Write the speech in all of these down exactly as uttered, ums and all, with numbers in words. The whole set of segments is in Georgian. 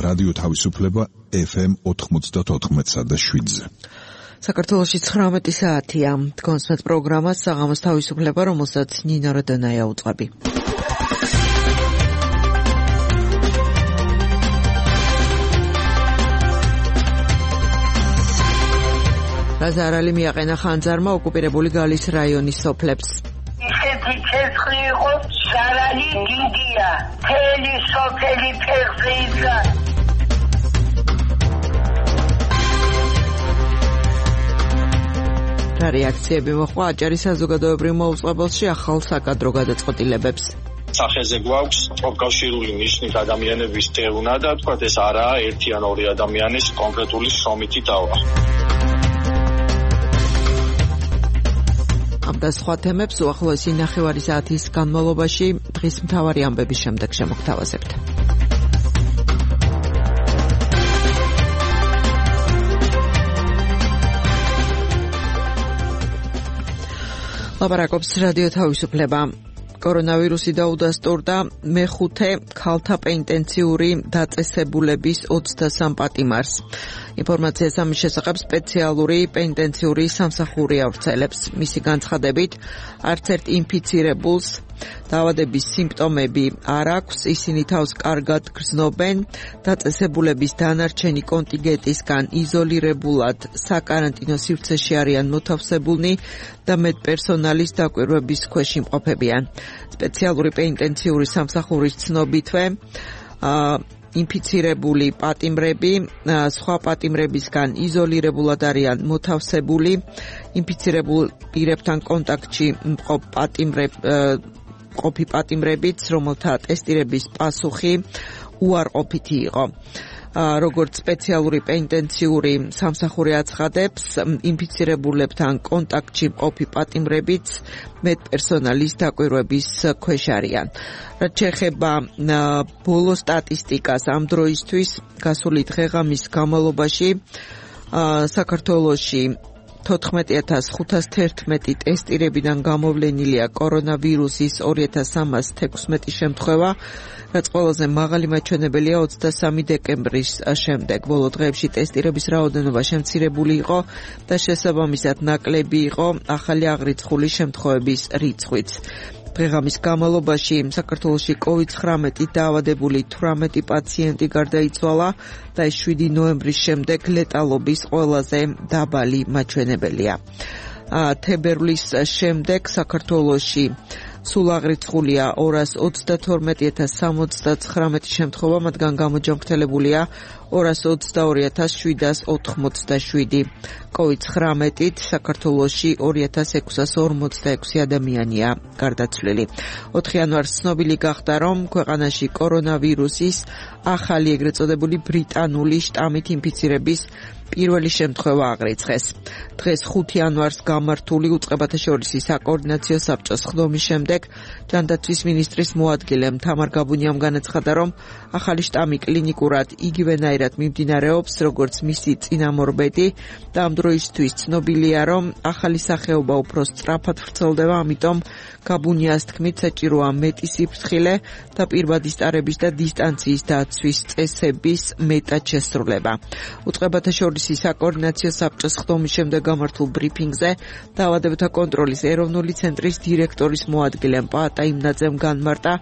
რადიო თავისუფლება ეფ ემ ოთხმოცდაოთხ და შვიდზე. საქართველოში ცხრამეტი საათია. დგონსმეთ პროგრამას საღამოს თავისუფლება, რომელსაც ნინო როდონაია უწყები. რაზა არალი მიაყენა ხანძარმა ოკუპირებული გალის რაიონის სოფლებს. ისეთი ცეცხლი იყო, ზარალი დიდია, თელი სოფელი ფეხზე იდგა. რა რეაქციები მოხდა აჭარის საზოგადოებრივ მოუწყებელში ახალ საკადრო გადაწყვეტილებებს? სახეზე გვაქვს პროფკავშირული ნიშნით ადამიანების დევნა და თქვა ეს არაა ერთი ან ორი ადამიანის კონკრეტული შრომითი დავა. ამ და სხვა თემებს უახლოესი ნახევარი საათის განმავლობაში დღის მთავარი ამბების შემდეგ შემოგთავაზებთ. ლაპარაკობს რადიო თავისუფლება. კორონავირუსი დაუდასტურდა მეხუთე ქალთა პენტენციური დაწესებულების ოცდასამ პატიმარს. ინფორმაციას ამის შესახებ სპეციალური პენტენციური სამსახური ავრცელებს. მისი განცხადებით, არც ერთ ინფიცირებულს დაავადების სიმპტომები არ აქვს, ისინი თავს კარგად გრძნობენ, დაწესებულების დანარჩენი კონტინგენტისგან იზოლირებულად საკარანტინო სივრცეში არიან მოთავსებულნი და მედპერსონალის დაკვირვების ქვეშ იმყოფებიან. სპეციალური პენტენციური სამსახურის ცნობითვე ინფიცირებული პატიმრები სხვა პატიმრებისგან იზოლირებულად არიან მოთავსებული, ინფიცირებულ პირებთან კონტაქტში მყოფ პატიმრებ ყოფი პატიმრებიც, რომელთა ტესტირების პასუხი უარყოფითი იყო. როგორც სპეციალური პენტენციური სამსახური აცხადებს, ინფიცირებულებთან კონტაქტში მყოფი პატიმრებიც მედპერსონალის დაკვირვების ქვეშ არიან. რაც შეეხება ბოლო სტატისტიკას ამ დროისთვის, გასული დღე-ღამის განმავლობაში საქართველოში თოთხმეტი ათას ხუთას თერთმეტი ტესტირებიდან გამოვლენილია კორონავირუსის ორი ათას სამას თექვსმეტი შემთხვევა, რაც ყველაზე მაღალი მაჩვენებელია ოცდასამი დეკემბრის შემდეგ. ბოლო დღეებში ტესტირების რაოდენობა შემცირებული იყო და შესაბამისად ნაკლები იყო ახალი აღრიცხული შემთხვევების რიცხვიც. დღე-ღამის განმავლობაში საქართველოში კოვიდ ცხრამეტი დაავადებული თვრამეტი პაციენტი გარდაიცვალა და ეს შვიდი ნოემბრის შემდეგ ლეტალობის ყველაზე დაბალი მაჩვენებელია. თებერვლის შემდეგ საქართველოში სულ აღრიცხულია ორას ოცდათორმეტი ათას სამოცდაცხრამეტი შემთხვევა, მათგან გამოჯანმრთელებულია ორას ოცდაორი ათას შვიდას ოთხმოცდაშვიდი. კოვიდ ცხრამეტით საქართველოში ორი ათას ექვსას ორმოცდაექვსი ადამიანია გარდაცვლილი. ოთხი იანვარს ცნობილი გახდა, რომ ქვეყანაში კორონავირუსის ახალი ეგრეთ წოდებული ბრიტანული შტამით ინფიცირების პირველი შემთხვევა აღრიცხეს. დღეს ხუთი იანვარს გამართული უწყებათა შორისი საკოორდინაციო საბჭოს ხდომის შემდეგ ჯანდაცვის მინისტრის მოადგილემ თამარ გაბუნიამ განაცხადა, რომ ახალი შტამი კლინიკურად იგივენაირად მიმდინარეობს, როგორც მისი წინამორბედი და ამ დროისთვის ცნობილია, რომ ახალი სახეობა უფრო სწრაფად ვრცელდება, ამიტომ გაბუნიას თქმით საჭიროა მეტი სიფრთხილე და პირბადის ტარების და დისტანციის დაცვის წესების მეტად შესრულება. უწყებათა შორისი საკოორდინაციო საბჭოს ხდომის შემდეგ გამართულ ბრიფინგზე დაავადებათა კონტროლის ეროვნული ცენტრის დირექტორის მოადგილემ პაატა იმნაძემ განმარტა,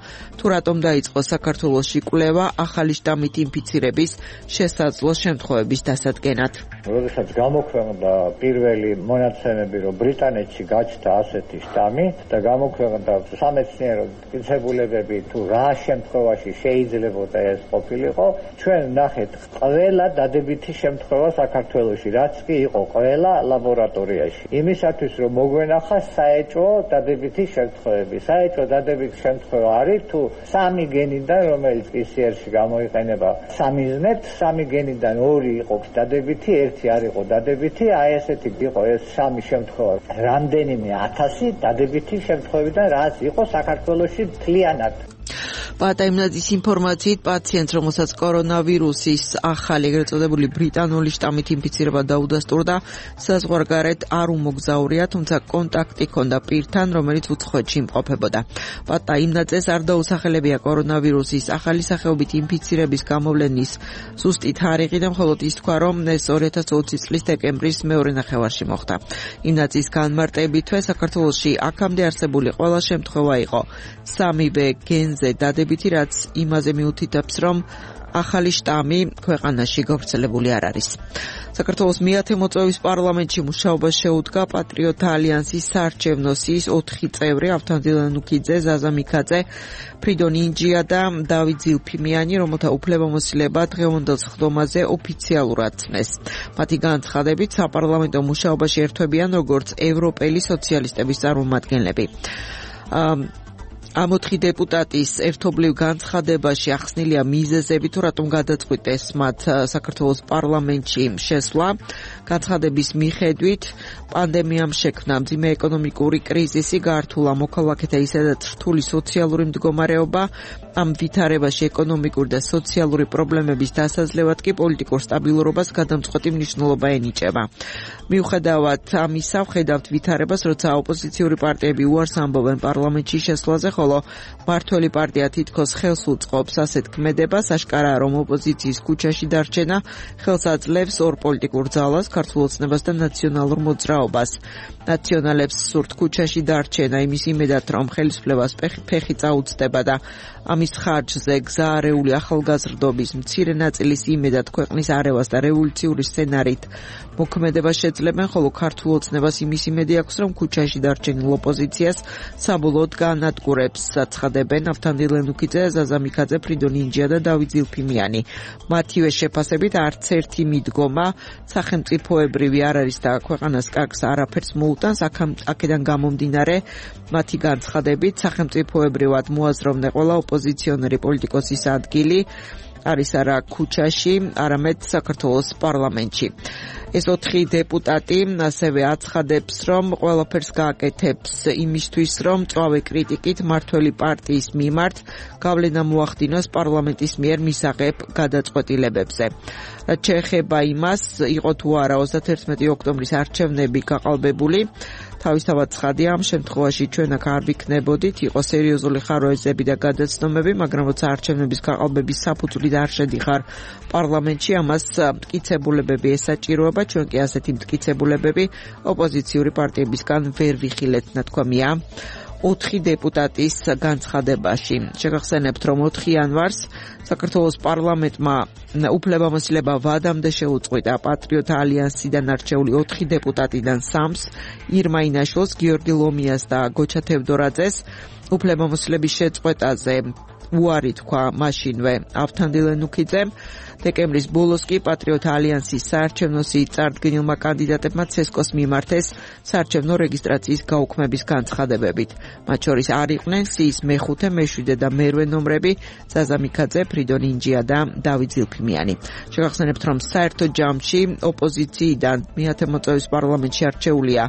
თუ რატომ დაიწყო საქართველოში კვლევა ახალი შტამით ინფიცირების შესაძლო შემთხვევების დასადგენად. როდესაც გამოქვეყნდა პირველი მონაცემები, რომ ბრიტანეთში გაჩნდა ასეთი შტამი და გამოქვეყნდა სამეცნიერო მტკიცებულებები, თუ რა შემთხვევაში შეიძლებოდა ეს ყოფილიყო, ჩვენ ნახეთ ყველა დადებითი შემთხვევა საქართველოში, რაც კი იყო ყველა ლაბორატორიაში. იმისათვის, რომ მოგვენახა საეჭვო დადებითი შემთხვევები. საეჭვო დადებითი შემთხვევა არის, თუ სამი გენიდან, რომელიც პი სი არ-ში გამოიყენება სამიზნედ, სამი გენიდან ორი იყო დადებითი, ერთი არ იყო დადებითი, აი ესეთი იყო ეს სამი შემთხვევა. რამდენიმე ათასი დადებითი შემთხვევიდან, რაც იყო საქართველოში მთლიანად. პატაიმნაძის ინფორმაციით პაციენტს, რომელსაც კორონავირუსის ახალი ეგრეთ წოდებული ბრიტანული შტამით ინფიცირება დაუდასტურდა, საზღვარგარეთ არ უმოგზაურია, თუმცა კონტაქტი ჰქონდა პირთან, რომელიც უცხოეთში იმყოფებოდა. პატაიმნაძეს არ დაუსახელებია კორონავირუსის ახალი სახეობით ინფიცირების გამოვლენის ზუსტი თარიღი და მხოლოდ ის თქვა, რომ ეს ორი ათას ოცი წლის დეკემბრის მეორე ნახევარში მოხდა. იმნაძის განმარტებითვე საქართველოში აქამდე არსებული ყველა შემთხვევა იყო სამივე გენზე დადებითი, რაც იმაზე მიუთითებს, რომ ახალი შტამი ქვეყანაში გავრცელებული არ არის. საქართველოს მეათე მოწვევის პარლამენტში მუშაობას შეუდგა პატრიოტთა ალიანსის საარჩევნო სიის ოთხი წევრი: ავთანდილ ანუქიძე, ზაზა მიქაძე, ფრიდონ ინჯია და დავით ზილფიმიანი, რომელთა უფლებამოსილება დღევანდელ სხდომაზე ოფიციალურად წნეს. მათი განცხადებით, საპარლამენტო მუშაობაში ერთვებიან როგორც ევროპელი სოციალისტების წარმომადგენლები. ამ ოთხი დეპუტატის ერთობლივ განცხადებაში ახსნილია მიზეზები, თუ რატომ გადაწყვიტეს მათ საქართველოს პარლამენტში შესვლა. განცხადების მიხედვით, პანდემიამ შექმნა მძიმე ეკონომიკური კრიზისი, გაართულა მოქალაქეთა ისედაც რთული სოციალური მდგომარეობა. ამ ვითარებაში ეკონომიკური და სოციალური პრობლემების დასაძლევად კი პოლიტიკურ სტაბილურობას გადამწყვეტი მნიშვნელობა ენიჭება. მიუხედავად ამისა, ვხედავთ ვითარებას, როცა ოპოზიციური პარტიები უარს ამბობენ პარლამენტში შესვლაზე, ხოლო მართველი პარტია თითქოს ხელს უწყობს ასეთ ქმედებას. აშკარაა, რომ ოპოზიციის ქუჩაში დარჩენა ხელს აძლევს ორ პოლიტიკურ ძალას, ქართულ ოცნებას და ნაციონალურ მოძრაობას. ნაციონალებს სურთ ქუჩაში დარჩენა, იმის იმედად, რომ ხელისუფლებას ფეხი წაუწდება და ამის ხარჯზე გზაარეული ახალგაზრდობის მცირე ნაწილის იმედად ქვეყნის არევას და რევოლუციური სცენარით მოქმედება შეძლებენ, ხოლო ქართულ ოცნებას იმის იმედი აქვს, რომ ქუჩაში დარჩენილ ოპოზიციას საბოლოოდ განადგურებს. აცხადებენ ავთანდილ ანუქიძე, ზაზა მიქაძე, ფრიდონ ინჯია და დავით ზილფიმიანი. მათივე შეფასებით არც ერთი მიდგომა სახელმწიფოებრივი არ არის და ქვეყანას კარგს არაფერს მოუტანს. აქედან გამომდინარე, მათი განცხადებით, სახელმწიფოებრივად მოაზროვნე ყველა ოპოზიციონერი პოლიტიკოსის ადგილი არის არა ქუჩაში, არამედ საქართველოს პარლამენტში. ეს ოთხი დეპუტატი ასევე აცხადებს, რომ ყველაფერს გააკეთებს იმისთვის, რომ მწვავე κρიტიკით მართველი პარტიის მიმართ გავლენა მოახდინოს პარლამენტის მიერ მისაღებ გადაწყვეტილებებზე. რაც შეეხება იმას, იყო თუ არა ოცდაათი ოქტომბრის არჩევნები გაყალბებული, თავისთავად ცხადია, ამ შემთხვევაში ჩვენ აქ არ ვიქნებოდით, იყო სერიოზული ხაროეზები და გადაცნომები, მაგრამ როცა არჩევნების გაყალბების საფუძვლით არ შედიხარ პარლამენტში, ამას მტკიცებულებები ესაჭიროება, ჩვენ კი ასეთი მტკიცებულებები ოპოზიციური პარტიებისგან ვერ ვიხილეთ, ნათქვამია ოთხი დეპუტატის განცხადებაში. შეგახსენებთ, რომ ოთხი იანვარს საქართველოს პარლამენტმა უფლებამოსილება ვადამდე შეუწყვიტა პატრიოტთა ალიანსიდან არჩეული ოთხი დეპუტატიდან სამს, ირმა ინაშვილს, გიორგი ლომიას და გოჩა თევდორაძეს. უფლებამოსილების შეწყვეტაზე უარი თქვა მაშინვე ავთანდილ ანუქიძემ. დეკემბრის ბოლოს კი პატრიოტთა ალიანსის საარჩევნო სიით წარდგენილმა კანდიდატებმა ცესკოს მიმართეს საარჩევნო რეგისტრაციის გაუქმების განცხადებებით. მათ შორის არ იყვნენ სიის მეხუთე, მეშვიდე და მერვე ნომრები, ზაზა მიქაძე, ფრიდონ ინჯია და დავით ზილფიმიანი. შეგახსენებთ, რომ საერთო ჯამში ოპოზიციიდან მეათე მოწვევის პარლამენტში არჩეულია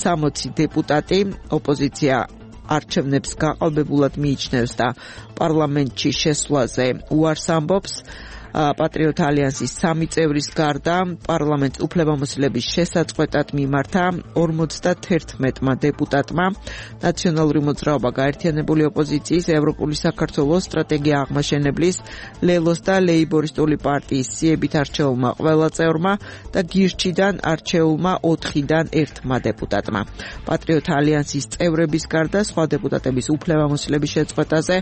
სამოცი დეპუტატი. ოპოზიცია არჩევნებს გაყალბებულად მიიჩნევს და პარლამენტში შესვლაზე უარს ამბობს. პატრიოტთა ალიანსის სამი წევრის გარდა პარლამენტს უფლებამოსილების შესაწყვეტად მიმართა ორმოცდაათმა დეპუტატმა. ნაციონალური მოძრაობა, გაერთიანებული ოპოზიციის, ევროპული საქართველოს, სტრატეგია აღმაშენებლის, ლელოს და ლეიბორისტული პარტიის სიებით არჩეულმა ყველა წევრმა და გირჩიდან არჩეულმა ოთხიდან ერთმა დეპუტატმა. პატრიოტთა ალიანსის წევრების გარდა სხვა დეპუტატების უფლებამოსილების შეწყვეტაზე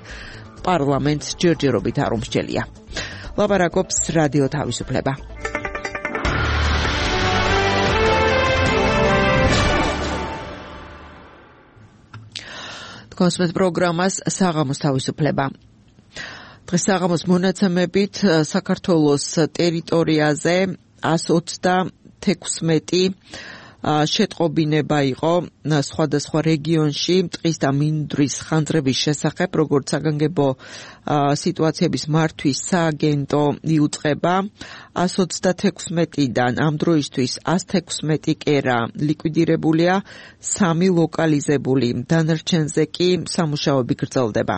პარლამენტს ჯერჯერობით არ უმსჯელია. ლაპარაკობს რადიო თავისუფლება. კონსმეთ პროგრამას საღამოს თავისუფლება. დღეს საღამოს მონაცემებით საქართველოს ტერიტორიაზე εκατს ოცდათექვსმეტი შეტყობინება იყო სხვადასხვა რეგიონში ტყის და მინდვრის ხანძრების შესახებ, როგორც საგანგებო სიტუაციების მართვის სააგენტო იუწყება. εκατს ოცდათექვსმეტიდან ამ დროისთვის εκατს თექვსმეტი კერა ლიკვიდირებულია, სამი ლოკალიზებული, დანარჩენზე კი სამუშაოები გრძელდება.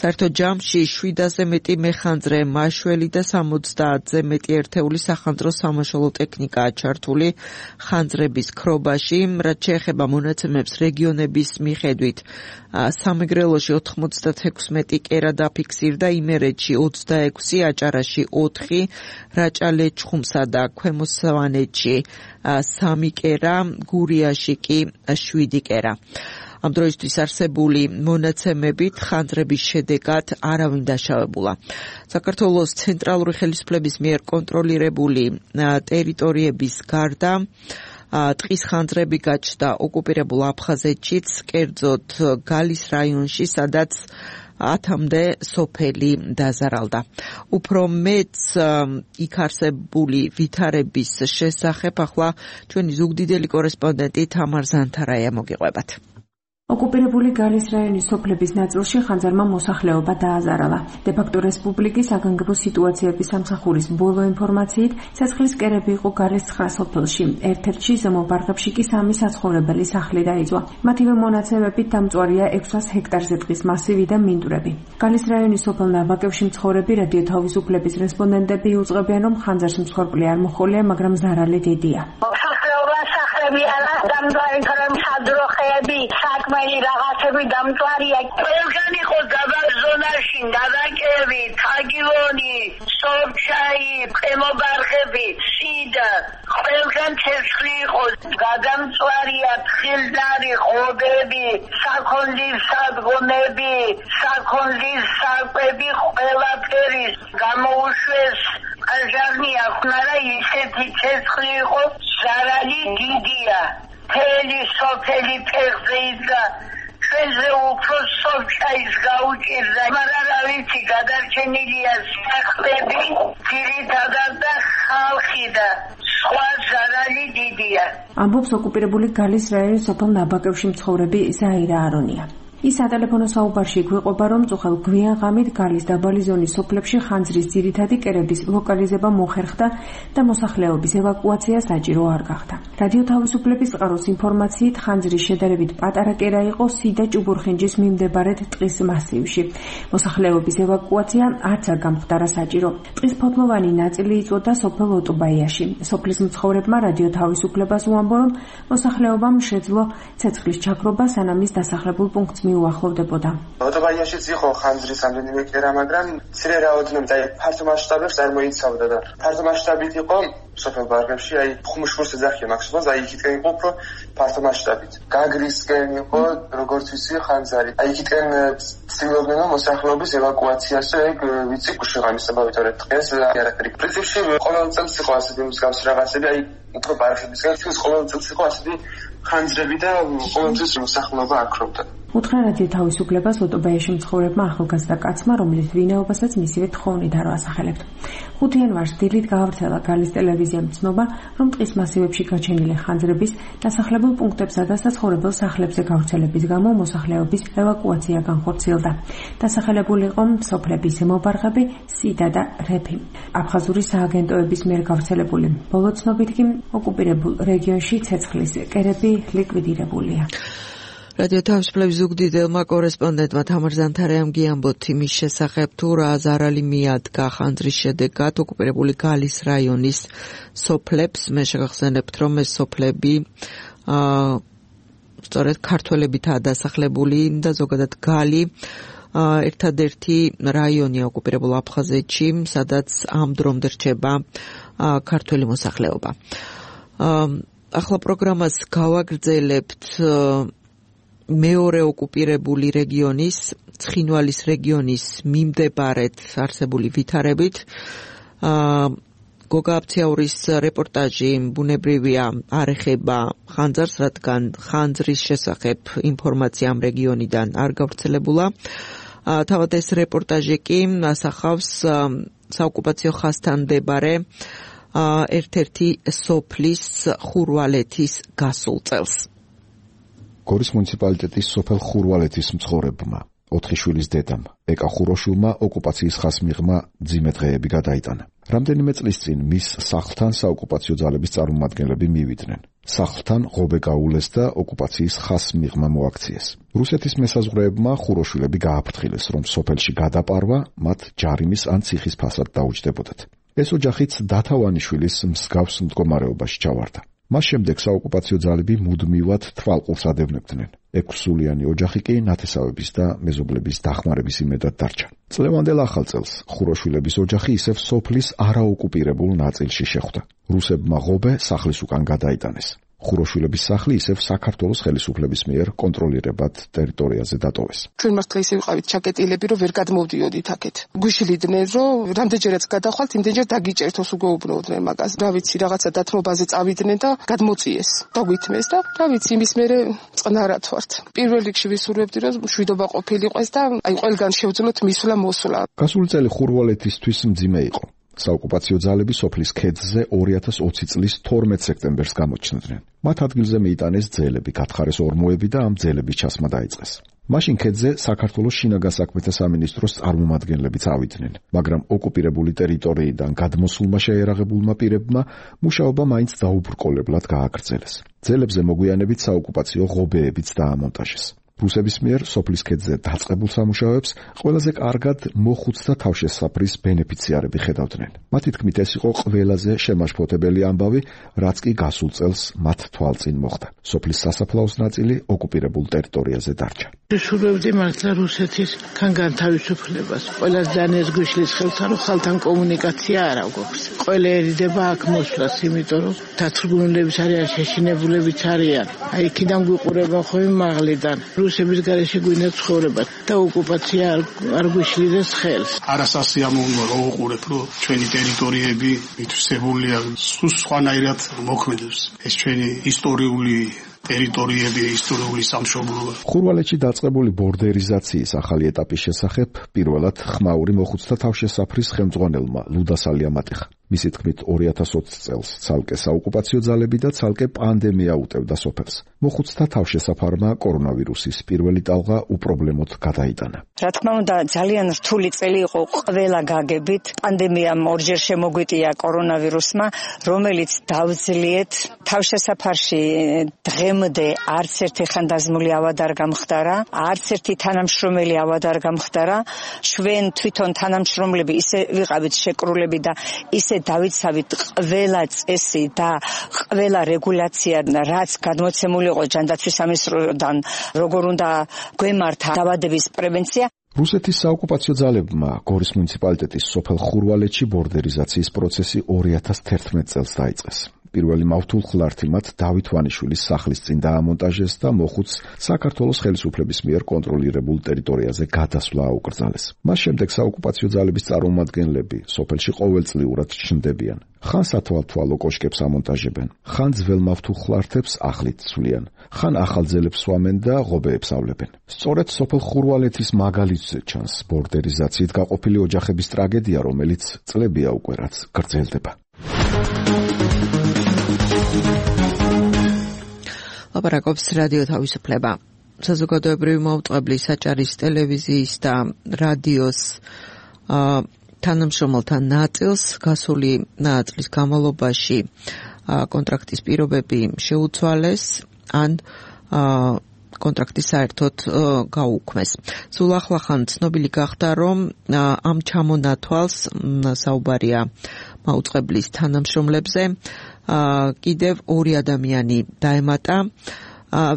საერთოდ ჯამში შვიდაზე მეტი მეხანძრე, მაშველი და სამოცდაათზე მეტი ერთეული სახანძრო სამაშველო ტექნიკაა ჩართული ხანძრების ქრობაში, რაც შეეხება მონაცემებს რეგიონების მიხედვით. სამეგრელოში ოთხმოცდათექვსმეტი კერა დაფიქსირდა, იმერეთში ოცდაექვსი, აჭარაში ოთხი, რაჭა-ლეჩხუმსა და ქვემო სვანეთში სამი კერა, გურიაში კი შვიდი კერა. ამ დროისთვის არსებული მონაცემებით ხანძრების შედეგად არავინ დაშავებულა. საქართველოს ცენტრალური ხელისუფლების მიერ კონტროლირებული ტერიტორიების გარდა ტყის ხანძრები გაჩნდა ოკუპირებულ აფხაზეთშიც, კერძოდ გალის რაიონში, სადაც ათამდე სოფელი დაზარალდა. უფრო მეც იქ არსებული ვითარების შესახებ ახლა ჩვენი ზუგდიდელი კორესპონდენტი თამარ ზანთარაია მოგიყვებათ. ოკუპირებული გალის რაიონის სოფლების ნაწილში ხანძარმა მოსახლეობა დააზარალა. დე-ფაქტო რესპუბლიკის საგანგებო სიტუაციების სამსახურის ბოლო ინფორმაციით, ცეცხლის კერები იყო გალის ცხრა სოფელში, ერთ-ერთში ზემო ბარღებში კი სამი საცხოვრებელი სახლი დაიწვა. მათივე მონაცემებით დამწვარია ექვსას ჰექტარზე ტყის მასივი და მინდვრები. გალის რაიონის სოფელ ნაბაკევში მცხოვრები რადიო თავისუფლების რესპონდენტები იუწყებიან, რომ ხანძარს მსხვერპლი არ მოჰყოლია, მაგრამ ზარალი დიდია. სადროხეები, საკმელი რაღაცები დამწვარია. ყველგან იყო დაბაზონაში, დაბაკები, თაგილონი, სორჩაი, ყემობარღები, სიდა. ყველგან ცეცხლი იყო. გადამწვარია თხილდარი, ღობები, საქონლის სადგომები, საქონლის საკვები, ყველაფერი გამოუშვეს. აჟარნია, ხნარა ისეთი ცეცხლი იყო, ზარალი დიდია. მთელი სოფელი ფეხზე იდგა, ჩვენზე უფრო სოფჩაის გაუჭირდა, მაგრამ რა ვიცი, გადარჩენილია სახლები, ძირითადად და ხალხი და სხვა ზარალი დიდია. ამბობს ოკუპირებული გალის რაიონის სოფელ ნაბაკევში მცხოვრები ზაირა არონია. ის სატელეფონო საუბარში გვიყვება, რომ წუხელ გვიან ღამით გალის დაბალი ზონის სოფლებში ხანძრის ძირითადი კერების ლოკალიზება მოხერხდა და მოსახლეობის ევაკუაცია საჭირო არ გახდა. რადიო თავისუფლების წყაროს ინფორმაციით, ხანძრის შედარებით პატარა კერა იყო სიდა ჭუბურხინჯის მიმდებარედ ტყის მასივში. მოსახლეობის ევაკუაცია არც არ გამხდარა საჭირო. ტყის ფოთლოვანი ნაწილი იწვოდა სოფელ ოტუბაიაში. სოფლის მცხოვრებმა რადიო თავისუფლებას უამბო, რომ მოსახლეობამ შეძლო ცეცხლის ჩაქრობა, სანამ ის დასახლებულ პუნქტს უახლოვდებოდა. ოტუბაიაშიც იყო ხანძრის რამდენიმე კერა, მაგრამ მცირე რაოდენობით, აი ფართო მასშტაბებს არ მოიცავდა და ფართო მასშტაბით იყო სოფელ ბარღებში, აი ხუმშხურს ეძახიან მაქსიმალს, აი იქითკენ იყო უფრო ფართო მასშტაბით. გაგრისკენ იყო, როგორც ვიცი, ხანძარი. აი იქითკენ ცდილობდნენ მოსახლეობის ევაკუაციას, ეგ ვიცი, გუშაღამისება ვიტყვით დღეს არაფერი. პრინციპში ყოველ წელს იყო ასეთი მსგავსი რაღაცები, აი უფრო ბარღებისგან თვითონ ყოველ წელს იყო ასეთი ხანძრები და ყოველ წელს მოსახლეობა აქრობდა. უთხრა რადიო თავისუფლებას ოტუბაიაში მცხოვრებმა ახალგაზრდა კაცმა, რომელიც ვინაობასაც მისივე თხოვნით არ ვასახელებთ. ხუთი იანვარს დილით გაავრცელა გალის ტელევიზიამ ცნობა, რომ ტყის მასივებში გაჩენილი ხანძრების დასახლებულ პუნქტებსა და საცხოვრებელ სახლებზე გავრცელების გამო მოსახლეობის ევაკუაცია განხორციელდა. დასახელებული იყო სოფლები ზემო ბარღები, სიდა და რეფი. აფხაზური სააგენტოების მიერ გავრცელებული ბოლო ცნობით კი ოკუპირებულ რეგიონში ცეცხლის კერები ლიკვიდირებულია. რადიო თავისუფლების ზუგდიდელმა კორესპონდენტმა თამარ ზანთარაიამ გიამბოთ იმის შესახებ, თუ რა ზარალი მიადგა ხანძრის შედეგად ოკუპირებული გალის რაიონის სოფლებს. მე შეგახსენებთ, რომ ეს სოფლები აა სწორედ ქართველებითაა დასახლებული და ზოგადად გალი ერთადერთი რაიონია ოკუპირებულ აფხაზეთში, სადაც ამ დრომდე რჩება ქართველი მოსახლეობა. ახლა პროგრამას გავაგრძელებთ მეორე ოკუპირებული რეგიონის, ცხინვალის რეგიონის მიმდებარედ არსებული ვითარებით. გოგა აბციაურის რეპორტაჟი ბუნებრივია არ ეხება ხანძარს, რადგან ხანძრის შესახებ ინფორმაცია ამ რეგიონიდან არ გავრცელებულა. თავად ეს რეპორტაჟი კი ასახავს საოკუპაციო ხაზთან მდებარე ერთ-ერთი სოფლის ხურვალეთის გასულ წელს. გორის მუნიციპალიტეტის სოფელ ხურვალეთის მცხოვრებმა, ოთხი შვილის დედამ, ეკა ხუროშულმა ოკუპაციის ხაზს მიღმა მძიმე დღეები გადაიტანა. რამდენიმე წლის წინ მის სახლთან საოკუპაციო ძალების წარმომადგენლები მივიდნენ. სახლთან ღობე გაულეს და ოკუპაციის ხაზს მიღმა მოაქციეს. რუსეთის მესაზღვრეებმა ხუროშვილები გააფრთხილეს, რომ სოფელში გადაპარვა მათ ჯარიმის ან ციხის ფასად დაუჯდებოდათ. ეს ოჯახიც დათავანიშვილის მსგავს მდგომარეობაში ჩავარდა. მას შემდეგ საოკუპაციო ძალები მუდმივად თვალყურს ადევნებდნენ. ექვსსულიანი ოჯახი კი ნათესავების და მეზობლების დახმარების იმედად დარჩა. წლევანდელ ახალ წელს ხუროშვილების ოჯახი ისევ სოფლის არაოკუპირებულ ნაწილში შეხვდა. რუსებმა ღობე სახლის უკან გადაიტანეს. ხუროშვილების სახლი ისევ საქართველოს ხელისუფლების მიერ კონტროლირებად ტერიტორიაზე დატოვეს. ჩვენ მართლა ისე ვიყავით ჩაკეტილები, რომ ვერ გადმოვდიოდით აქეთ. გვიშლიდნენ, რომ რამდენჯერაც გადახვალთ, იმდენჯერ დაგიჭერთოს უგეუბნოდნენ მაგას. რა ვიცი, რაღაცა დათმობაზე წავიდნენ და გადმოწიეს. დაგვითმეს და რა ვიცი, იმის მერე წყნარად ვართ. პირველ რიგში ვისურვებდი, რომ მშვიდობა ყოფილიყოს და აი ყველგან შევძლოთ მისვლა მოსვლა. გასული წელი ხურვალეთისთვის მძიმე იყო. საოკუპაციო ძალები სოფლის ქედზე ორი ათას ოცი წლის თორმეტ სექტემბერს გამოჩნდნენ. მათ ადგილზე მიიტანეს ძელები, გათხარეს ორმოები და ამ ძელების ჩასმა დაიწყეს. მაშინ ქედზე საქართველოს შინაგან საქმეთა სამინისტროს წარმომადგენლებიც ავიდნენ, მაგრამ ოკუპირებული ტერიტორიიდან გადმოსულმა შეერაღებულმა პირებმა მუშაობა მაინც დაუბრკოლებლად გააგრძელეს. ძელებზე მოგვიანებით საოკუპაციო ღობეებიც დაამონტაჟეს. რუსების მიერ სოფლის ქედზე დაწყებულ სამუშაოებს ყველაზე კარგად მოხუცთა თავშესაფრის ბენეფიციარები ხედავდნენ. მათი თქმით, ეს იყო ყველაზე შემაშფოთებელი ამბავი, რაც კი გასულ წელს მათ თვალწინ მოხდა. სოფლის სასაფლაოს ნაწილი ოკუპირებულ ტერიტორიაზე დარჩა. ვისურვებდი მართლა რუსეთის განთავისუფლებას. ყველას დანეს გვიშლის ხელთან, რომ ხალხთან კომუნიკაცია არ აქვს. ყველა ერიდება აქ მოსვლას, იმიტომ რომ დაწვრგუნებულების არიან, შეშინებულებიც არიან. აი იქიდან გვიყურება ხოლმე მაღლიდან. რუსების გარეშე გვინდა ცხოვრება და ოკუპაცია არ გვიშლიდეს ხელს. არასასიამოვნოა რომ უყურებ, რომ ჩვენი ტერიტორიები მითვისებულია სხვანაირად მოქმედებს. ეს ჩვენი ისტორიული ტერიტორიები, ისტორიული სამშობლოა. ხურვალეთში დაწყებული ბორდერიზაციის ახალი ეტაპის შესახებ პირველად ხმაური მოხუცთა თავშესაფრის ხელმძღვანელმა ლუდა სალიამ ატეხა. მისი თქმით, ორი ათას ოცი წელს ცალკე საოკუპაციო ძალები და ცალკე პანდემია უტევდა სოფელს. მოხუცთა თავშესაფარმა კორონავირუსის პირველი ტალღა უპრობლემოდ გადაიტანა. რა თქმა უნდა, ძალიან რთული წელი იყო ყველა გაგებით. პანდემიამ ორჯერ შემოგვიტია კორონავირუსმა, რომელიც დავძლიეთ თავშესაფარში დღემდე არც ერთი ხანდაზმული ავად არ გამხდარა, არც ერთი თანამშრომელი ავად არ გამხდარა. ჩვენ თვითონ თანამშრომლები ისე ვიყავით შეკრულები და ისე დავიცავით ყველა წესი და ყველა რეგულაცია, რაც გადმოცემული იყო ჯანდაცვის სამინისტროდან, როგორ უნდა გვემართა დაავადების პრევენცია. რუსეთის საოკუპაციო ძალებმა გორის მუნიციპალიტეტის სოფელ ხურვალეთში ბორდერიზაციის პროცესი ორი ათას თერთმეტ წელს დაიწყეს. პირველი მავთულხლართი მათ დავით ვანიშვილის სახლის წინ დაამონტაჟეს და მოხუც საქართველოს ხელისუფლების მიერ კონტროლირებულ ტერიტორიაზე გადასვლა აუკრძალეს. მას შემდეგ საოკუპაციო ძალების წარმომადგენლები სოფელში ყოველწლიურად ჩნდებიან. ხან სათვალთვალო კოშკებს ამონტაჟებენ, ხან ძველ მავთულხლართებს ახლით ცვლიან, ხან ახალ ძელებს სვამენ და ღობეებს ავლებენ. სწორედ სოფელ ხურვალეთის მაგალითზე ჩანს ბორდერიზაციით გაყოფილი ოჯახების ტრაგედია, რომელიც წლებია უკვე რაც გრძელდება. ლაპარაკობს რადიო თავისუფლება. საზოგადოებრივი მაუწყებლის, საჭარის, ტელევიზიის და რადიოს თანამშრომელთა ნაწილს გასული წლის განმავლობაში კონტრაქტის პირობები შეუცვალეს ან კონტრაქტი საერთოდ გაუქმეს. სულ ახლახან ცნობილი გახდა, რომ ამ ჩამონათვალს საუბარია მაუწყებლის თანამშრომლებზე კიდევ ორი ადამიანი დაემატა.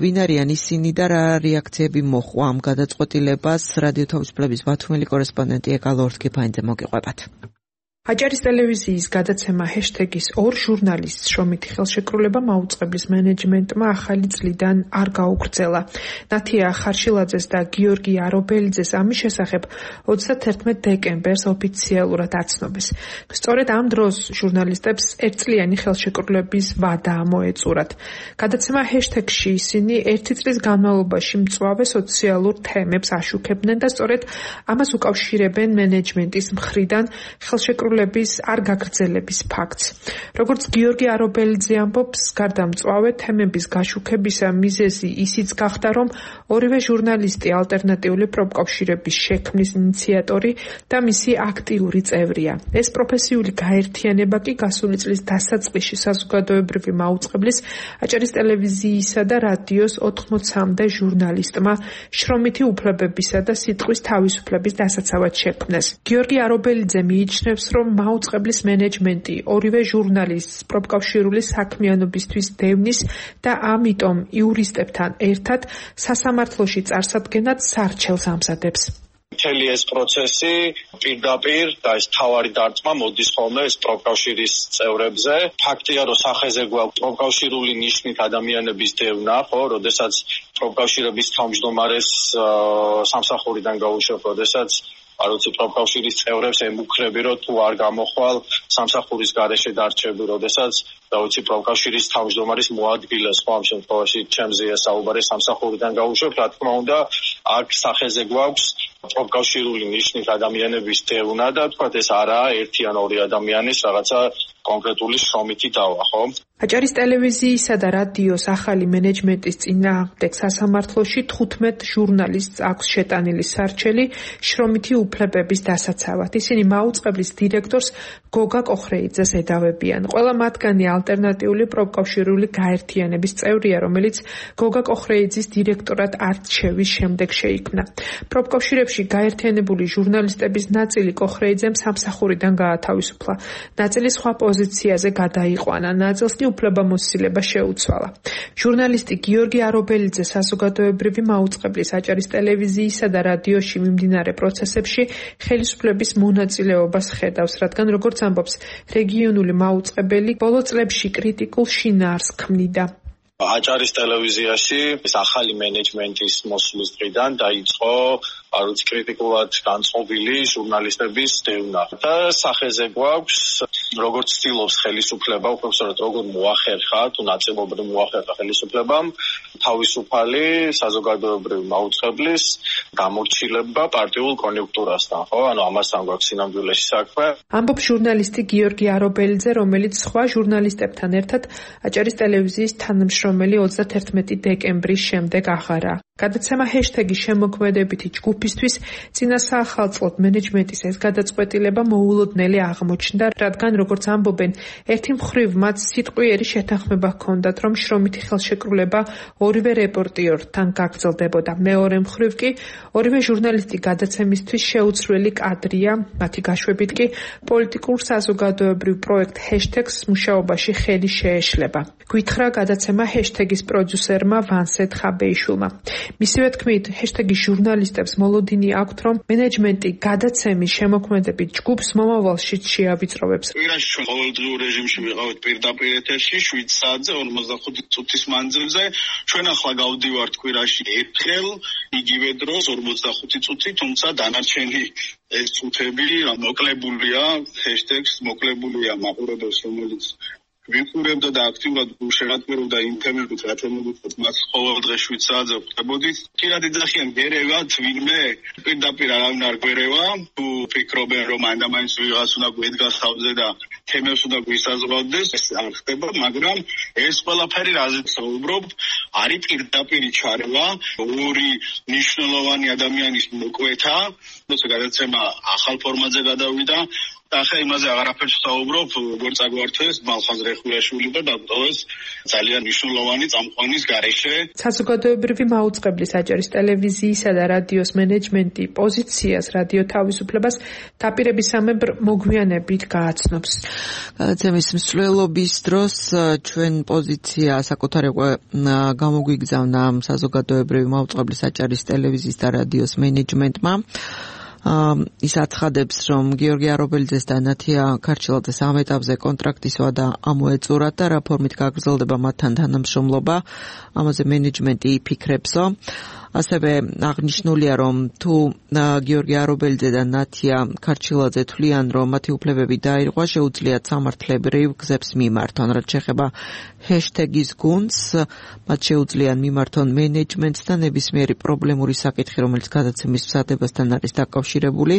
ვინ არიან ისინი და რა რეაქციები მოჰყვა ამ გადაწყვეტილებას? რადიო თავისუფლების ბათუმელი კორესპონდენტი ეკალო ორთქიფაინძე მოგიყვებათ. აჭარის ტელევიზიის გადაცემა ჰეშტეგის ორ ჟურნალისტს შრომითი ხელშეკრულება მაუწყებლის მენეჯმენტმა ახალი წლიდან არ გაუგრძელა. ნათია ხარშილაძეს და გიორგი არობელიძეს ამის შესახებ ოცდათერთმეტ დეკემბერს ოფიციალურად აცნობეს. სწორედ ამ დროს ჟურნალისტებს ერთწლიანი ხელშეკრულების ვადა მოეწურათ. გადაცემა ჰეშტეგში ისინი ერთი წლის განმავლობაში მწვავე სოციალურ თემებს აშუქებდნენ და სწორედ ამას უკავშირებენ მენეჯმენტის მხრიდან ხელშეკრულების ხელშეკრულების არ გაგრძელების ფაქტს. როგორც გიორგი არობელიძე ამბობს, გარდა მწვავე თემების გაშუქებისა მიზეზი ისიც გახდა, რომ ორივე ჟურნალისტი ალტერნატიული პროფკავშირების შექმნის ინიციატორი და მისი აქტიური წევრია. ეს პროფესიული გაერთიანება კი გასული წლის დასაწყისში საზოგადოებრივი მაუწყებლის აჭარის ტელევიზიისა და რადიოს ოთხმოცამდე ჟურნალისტმა შრომითი უფლებებისა და სიტყვის თავისუფლების დასაცავად შექმნეს. გიორგი არობელიძე მიიჩნევს, რომ მაუწყებლის მენეჯმენტი ორივე ჟურნალისტს პროფკავშირული საქმიანობისთვის დევნის და ამიტომ იურისტებთან ერთად სასამართლოში წარსადგენად სარჩელს ამზადებს. მთელი ეს პროცესი პირდაპირ და ეს თავარი დარტყმა მოდის ხოლმე ეს პროფკავშირის წევრებზე. ფაქტია, რომ სახეზე გვაქვს პროფკავშირული ნიშნით ადამიანების დევნა, ხო, როდესაც პროფკავშირების თავმჯდომარეს სამსახურიდან გაუშვებ, როდესაც არ ვიცი პროფკავშირის წევრებს ემუქრები, რომ თუ არ გამოხვალ სამსახურის გარეშე დარჩები, როდესაც და ვიცი პროფკავშირის თავმჯდომარის მოადგილეს, ხო, ამ შემთხვევაში ჩემზეა საუბარი სამსახურიდან გაუშვებ, რა თქმა უნდა, აქ სახეზე გვაქვს პროფკავშირული ნიშნით ადამიანების დევნა და თქვა ეს არაა ერთი ან ორი ადამიანის რაღაცა კონკრეტული შრომითი დავა, ხო? აჭარის ტელევიზიისა და რადიოს ახალი მენეჯმენტის წინააღმდეგ სასამართლოში თხუთმეტ ჟურნალისტს აქვს შეტანილი სარჩელი შრომითი უფლებების დასაცავად. ისინი მაუწყებლის დირექტორს გოგა კოხრეიძეს ედავებიან. ყველა მათგანი ალტერნატიული პროფკავშირული გაერთიანების წევრია, რომელიც გოგა კოხრეიძის დირექტორად არჩევის შემდეგ შეიქმნა. პროფკავშირებში გაერთიანებული ჟურნალისტების ნაწილი კოხრეიძემ სამსახურიდან გაათავისუფლა. ნაწილი სხვა პოზიციაზე გადაიყვანა, ნაწილს კი უფლებამოსილება შეუცვალა. ჟურნალისტი გიორგი არობელიძე საზოგადოებრივი მაუწყებლის აჭარის ტელევიზიისა და რადიოში მიმდინარე პროცესებში ხელისუფლების მონაწილეობას ხედავს, რადგან როგორც ამბობს რეგიონული მაუწყებელი ბოლო წლებში კრიტიკულ შინაარსს ქმნიდა. აჭარის ტელევიზიაში ეს ახალი მენეჯმენტის მოსვლის დღიდან დაიწყო არ ვიცი კრიტიკულად განწყობილი ჟურნალისტების დევნა და სახეზე გვაქვს როგორც ცდილობს ხელისუფლება, უბრალოდ როგორ მოახერხა თუ ნაწილობრივ მოახერხა ხელისუფლებამ თავისუფალი საზოგადოებრივი მაუწყებლის გამორჩილება პარტიულ კონიუნქტურასთან, ხო? ანუ ამასთან გვაქვს სინამდვილეში საქმე. ამბობს ჟურნალისტი გიორგი არობელიძე, რომელიც სხვა ჟურნალისტებთან ერთად აჭარის ტელევიზიის თანამშრომელი ოცდაათერთმეტი დეკემბრის შემდეგ აღარა. გადაცემა ჰეშტეგი შემოქმედებითი ჯგუფისთვის წინა საახალწლოდ მენეჯმენტის ეს გადაწყვეტილება მოულოდნელი აღმოჩნდა, რადგან როგორც ამბობენ, ერთი მხრივ მათ სიტყვიერი შეთანხმება ჰქონდათ, რომ შრომითი ხელშეკრულება ორივე რეპორტიორთან გაგრძელდებოდა. მეორე მხრივ კი ორივე ჟურნალისტი გადაცემისთვის შეუცვლელი კადრია, მათი გაშვებით კი პოლიტიკურ საზოგადოებრივ პროექტ ჰეშტეგს მუშაობაში ხელი შეეშლება. გვითხრა გადაცემა ჰეშტეგის პროდიუსერმა ვანსე თხაბეიშვილმა. მისივე თქმით, ჰეშტეგის ჟურნალისტებს მოლოდინი აქვთ, რომ მენეჯმენტი გადაცემის შემოქმედებით ჯგუფს მომავალშიც შეავიწროვებს. კვირაში ჩვენ ყოველდღიურ რეჟიმში ვიყავით პირდაპირ ეთერში შვიდ საათზე ორმოცდახუთი წუთის მანძილზე. ჩვენ ახლა გავდივართ კვირაში ერთხელ იგივე დროს ორმოცდახუთი წუთი, თუმცა დანარჩენი ეს წუთები მოკლებულია ჰეშტეგს, მოკლებულია მაყურებელს, რომელიც ვიყურებდა და აქტიურად შეადგებოდა იმ თემებით, რა თემებით მას ყოველ დღე შვიდ საათზე ვხვდებოდით. კიდევ ეძახიან გერევათ ვინმე, პირდაპირ არავინ არ გვერევა, თუ ფიქრობენ რომ ამანდამაინც ვიღაც უნდა გვედგას თავზე და თემებს უნდა გვისაზღვრავდეს, ეს არ ხდება, მაგრამ ეს ყველაფერი რაზეც საუბრობ, არის პირდაპირი ჩარევა ორი მნიშვნელოვანი ადამიანის მოკვეთა, როცა გადაცემა ახალ ფორმატზე გადავიდა. ახლა იმაზე აღარაფერს ვსაუბრობ, როგორც აგვართეს მალხაზ რეხულიაშვილი და დაკრძალეს ძალიან მნიშვნელოვანი წამყვანის გარეშე. საზოგადოებრივი მაუწყებლის აჭარის ტელევიზიისა და რადიოს მენეჯმენტი პოზიციას, რადიო თავისუფლებას დაპირებისამებრ მოგვიანებით გააცნობს. გადაცემის მსვლელობის დროს ჩვენ პოზიცია საკუთარებო გამოგვიგზავნა საზოგადოებრივი მაუწყებლის აჭარის ტელევიზიის და რადიოს მენეჯმენტმა. ის აცხადებს, რომ გიორგი არობელიძეს და ნათია ქარჩილაძეს ამ ეტაპზე კონტრაქტის ვადა ამოეწურათ და რა ფორმით გაგრძელდება მათთან თანამშრომლობა, ამაზე მენეჯმენტი იფიქრებსო. ასევე აღნიშნულია, რომ თუ გიორგი არობელიძე და ნათია ქარჩილაძე თვლიან, რომ მათი უფლებები დაირღვა, შეუძლიათ სამართლებრივ გზებს მიმართონ. რაც შეეხება ჰეშტეგის გუნდს, მათ შეუძლიან მიმართონ მენეჯმენტს და ნებისმიერი პრობლემური საკითხი, რომელიც გადაცემის მზადებასთან არის დაკავშირებული,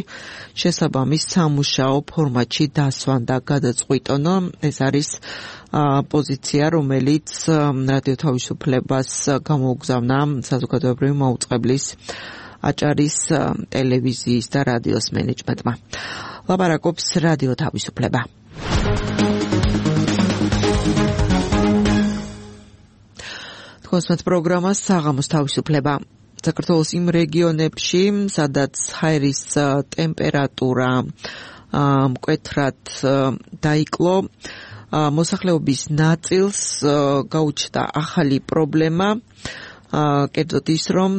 შესაბამის სამუშაო ფორმატში დასვან და გადაწყვიტონ. ეს არის პოზიცია, რომელიც რადიო თავისუფლებას გამოუგზავნა საზოგადოებრივი მაუწყებლის აჭარის ტელევიზიის და რადიოს მენეჯმენტმა. ლაპარაკობს რადიო თავისუფლება. თქვენს პროგრამას საღამოს თავისუფლება. საქართველოს იმ რეგიონებში, სადაც ჰაერის ტემპერატურა მკვეთრად დაიკლო, მოსახლეობის ნაწილს გაუჩნდა ახალი პრობლემა, კერძოდ ის, რომ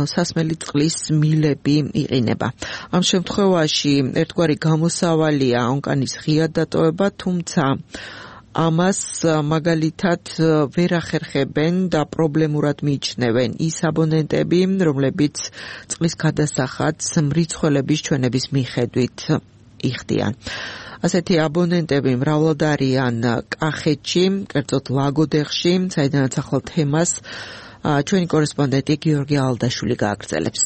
სასმელი წყლის მილები იყინება. ამ შემთხვევაში ერთგვარი გამოსავალია ონკანის ღია დატოვება, თუმცა ამას მაგალითად ვერ ახერხებენ და პრობლემურად მიიჩნევენ ის აბონენტები, რომლებიც წყლის გადასახადს მრიცხველების ჩვენების მიხედვით იხდიან. ასეთი აბონენტები მრავლად არიან კახეთში, კერძოდ ლაგოდეხში, საიდანაც ახალ თემას ჩვენი კორესპონდენტი გიორგი ალდაშვილი გააგრძელებს.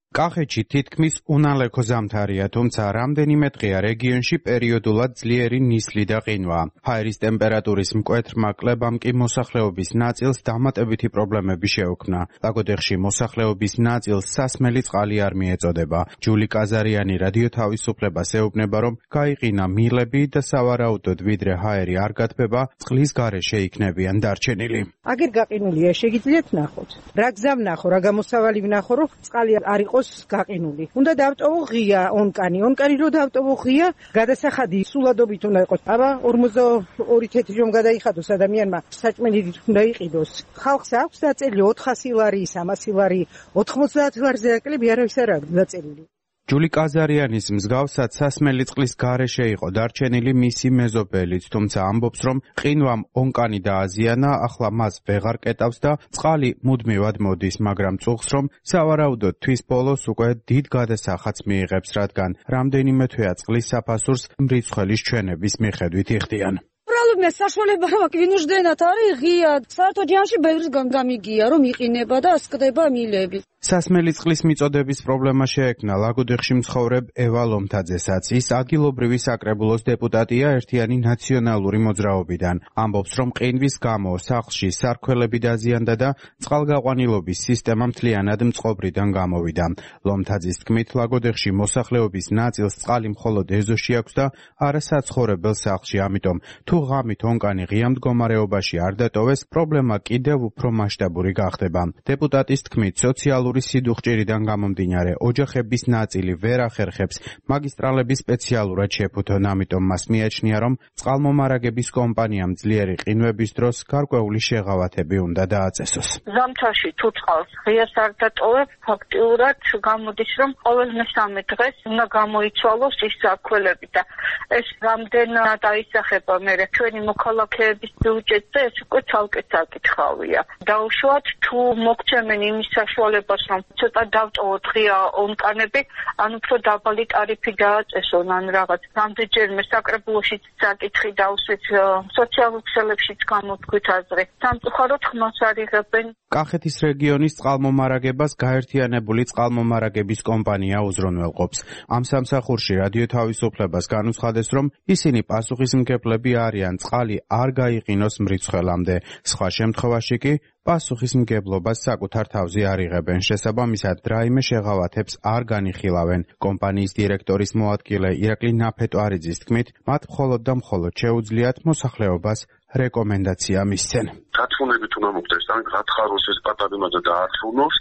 კახეთში თითქმის უნალექო ზამთარია, თუმცა რამდენიმე დღეა რეგიონში პერიოდულად ძლიერი ნისლი და ყინვა. ჰაერის ტემპერატურის მკვეთრმა კლებამ კი მოსახლეობის ნაწილს დამატებითი პრობლემები შეუქმნა. ლაგოდეხში მოსახლეობის ნაწილს სასმელი წყალი არ მიეწოდება. ჯული კაზარიანი რადიო თავისუფლებას ეუბნება, რომ გაიყინა მილები და სავარაუდოდ ვიდრე ჰაერი არ გათბება, წყლის გარეშე იქნებიან დარჩენილი. აგერ გაყინულია, შეგიძლიათ ნახოთ. რა გზა ვნახო, რა გამოსავალი ვნახო, რომ წყალი არ იყოს გაყინული. უნდა დავტოვო ღია ონკანი. ონკანი რო დავტოვო ღია, გადასახადი სულადობით უნდა იყოს. აბა ორმოცდაორი თეთრი რომ გადაიხადოს ადამიანმა, საჭმელი უნდა იყიდოს. ხალხს აქვს დაწერილი ოთხასი ლარი, სამასი ლარი, ოთხმოცდაათი ლარზე აკლები არავის არ აქვს დაწერილი. ჯული კაზარიანის მსგავსად სასმელი წყლის გარეშე იყო დარჩენილი მისი მეზობელიც, თუმცა ამბობს, რომ ყინვამ ონკანი დააზიანა, ახლა მას ვეღარ კეტავს და წყალი მუდმივად მოდის, მაგრამ წუხს, რომ სავარაუდოდ თვის ბოლოს უკვე დიდ გადასახადს მიიღებს, რადგან რამდენიმე თვეა წყლის საფასურს მრიცხველის ჩვენების მიხედვით იხდიან. პრობლემა საშუალება რომ ვინუშდენათ არის ღია, საერთოდ ჯამში ბევრისგან გამიგია, რომ იყინება და ასკდება მილები. სასმელი წყლის მიწოდების პრობლემა შეექმნა ლაგოდეხში მცხოვრებ ევა ლომთაძესაც. ის ადგილობრივი საკრებულოს დეპუტატია ერთიანი ნაციონალური მოძრაობიდან. ამბობს, რომ ყინვის გამო სახლში სარქველები დაზიანდა და წყალგაყვანილობის სისტემა მთლიანად მწყობრიდან გამოვიდა. ლომთაძის თქმით, ლაგოდეხში მოსახლეობის ნაწილს წყალი მხოლოდ ეზოში აქვს და არა საცხოვრებელ სახლში, ამიტომ თუ ღამით ონკანი ღია მდგომარეობაში არ დატოვეს, პრობლემა კიდევ უფრო მასშტაბური გახდება. დეპუტატის თქმით, სოციალური სიდუხჭირიდან გამომდინარე, ოჯახების ნაწილი ვერ ახერხებს მაგისტრალები სპეციალურად შეფუთონ, ამიტომ მას მიაჩნია, რომ წყალმომარაგების კომპანიამ ძლიერი ყინვების დროს გარკვეული შეღავათები უნდა დააწესოს. ზამთარში თუ წყალს ღიას არ დატოვებ, ფაქტიურად გამოდის, რომ ყოველ მესამე დღეს უნდა გამოიცვალოს ის საქველები და ეს რამდენად აისახება მე ჩვენი მოქალაქეების ბიუჯეტზე, ეს უკვე ცალკე საკითხავია. დაუშვათ თუ მოგცემენ იმის საშუალებას, რომ ცოტა დავტოვოთ ღია ონკანები, ან უფრო დაბალი ტარიფი დააწესონ, ან რაღაც. რამდენჯერმე საკრებულოშიც საკითხი დავსვით, სოციალურ ქსელებშიც გამოთქვით აზრი. სამწუხაროდ ხმას არ იღებენ. კახეთის რეგიონის წყალმომარაგებას გაერთიანებული წყალმომარაგების კომპანია უზრუნველყოფს. ამ სამსახურში რადიო თავისუფლებას განუცხადეს, რომ ისინი პასუხისმგებლები არიან წყალი არ გაიყინოს მრიცხველამდე. სხვა შემთხვევაში კი პასუხისმგებლობას საკუთარ თავზე არ იღებენ. შესაბამისად, რაიმე შეღავათებს არ განიხილავენ. კომპანიის დირექტორის მოადგილე ირაკლი ნაფეტვარიძის თქმით, მათ მხოლოდ და მხოლოდ შეუძლიათ მოსახლეობას რეკომენდაცია მისცენ. გათხოვნებით უნდა მოხდეს, ან გათხაროს ეს პატარიმაძე და ართუნოს,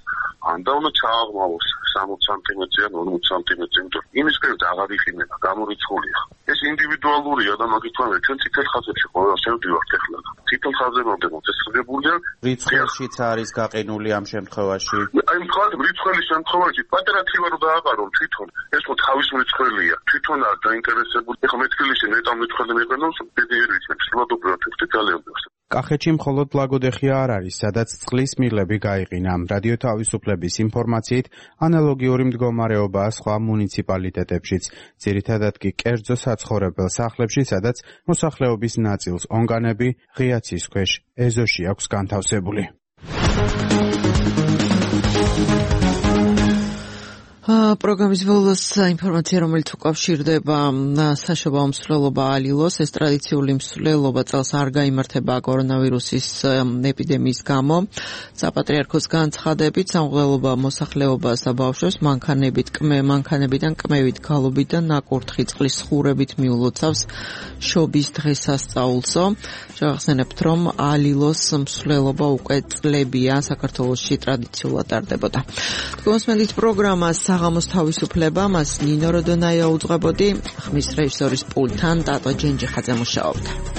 ან და უნდა ჩააღმავოს სამოცი სანტიმეტრი ან ორმოცი სანტიმეტრი, იმიტომ იმის პირით აღარ იყინება, გამორიცხულია. ეს ინდივიდუალურია და მაგით ვამბობ, ჩვენ წითელ ხაზებში ყველა შევდივართ ახლა. წითელ ხაზებამდე მოწესრიგებულია. რიცხვებშიც არის გაყინული ამ შემთხვევაში. აი მხოლოდ რიცხვის შემთხვევაში პატარა თივა რო დააყარონ თვითონ, ეს ხო თავის რიცხვია. თვითონ არ დაინტერესებული. ეხლა მე თბილისში ნეტამ რიცხვი მეყენოს, დიდი რიცხვი სულადობრივად ვიხდი ძალიან ბევრს. კახეთში მხოლოდ ლაგოდეხია არ არის, სადაც წყლის მილები გაიყინა. რადიო თავისუფლების ინფორმაციით, ანალოგიური მდგომარეობაა სხვა მუნიციპალიტეტებშიც. ძირითადად კი კერძო საცხოვრებელ სახლებში, სადაც მოსახლეობის ნაწილს ონგანები ღია ცის ქვეშ ეზოში აქვს განთავსებული. პროგრამის ბოლოს ინფორმაცია, რომელიც უკავშირდება საშობაო მსვლელობა ალილოს. ეს ტრადიციული მსვლელობა წელს არ გაიმართება კორონავირუსის ეპიდემიის გამო. საპატრიარქოს განცხადებით, სამღვდელობა მოსახლეობას და ბავშვებს მანქანებით, კმე, მანქანებიდან კმევით, გალობით და ნაკურთხი წყლის ხურებით მიულოცავს შობის დღესასწაულსო. შევახსენებთ, რომ ალილოს მსვლელობა უკვე წლებია საქართველოში ტრადიციულად ტარდებოდა. თქვენს პროგრამას საღამოს თავისუფლება, მას ნინო როდონაია უძღვებოდი, ხმის რეჟისორის პულტთან ტატო ჯენჯიხაძე მუშაობდა.